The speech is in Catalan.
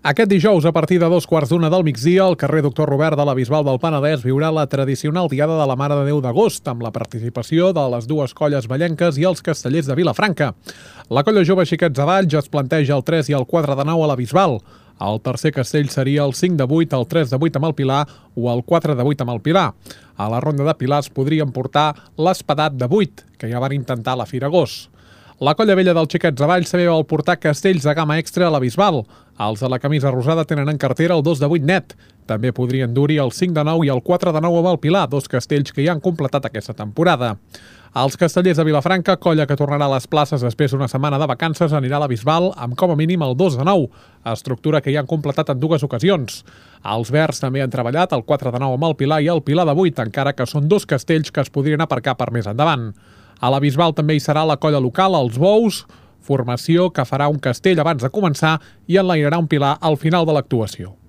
Aquest dijous, a partir de 2:15 del migdia, el carrer Doctor Robert de la Bisbal del Penedès viurà la tradicional Diada de la Mare de Déu d'agost, amb la participació de les dues colles ballenques i els castellers de Vilafranca. La colla jove Xiquets Avall ja es planteja el 3 i el 4 de 9 a la Bisbal. El tercer castell seria el 5 de 8, el 3 de 8 amb el Pilar o el 4 de 8 amb el Pilar. A la ronda de Pilars podrien portar l'Espadat de 8, que ja van intentar a la Fira Agost. La colla vella dels Xiquets Avall també vol portar castells de gamma extra a la Bisbal. Els de la camisa rosada tenen en cartera el 2 de 8 net. També podrien dur-hi el 5 de 9 i el 4 de 9 amb el Pilar, dos castells que ja han completat aquesta temporada. Els castellers de Vilafranca, colla que tornarà a les places després d'una setmana de vacances, anirà a la Bisbal amb com a mínim el 2 de 9, estructura que ja han completat en dues ocasions. Els verds també han treballat el 4 de 9 amb el Pilar i el Pilar de 8, encara que són dos castells que es podrien aparcar per més endavant. A la Bisbal també hi serà la colla local, els Bous, formació que farà un castell abans de començar i enlairarà un Pilar al final de l'actuació.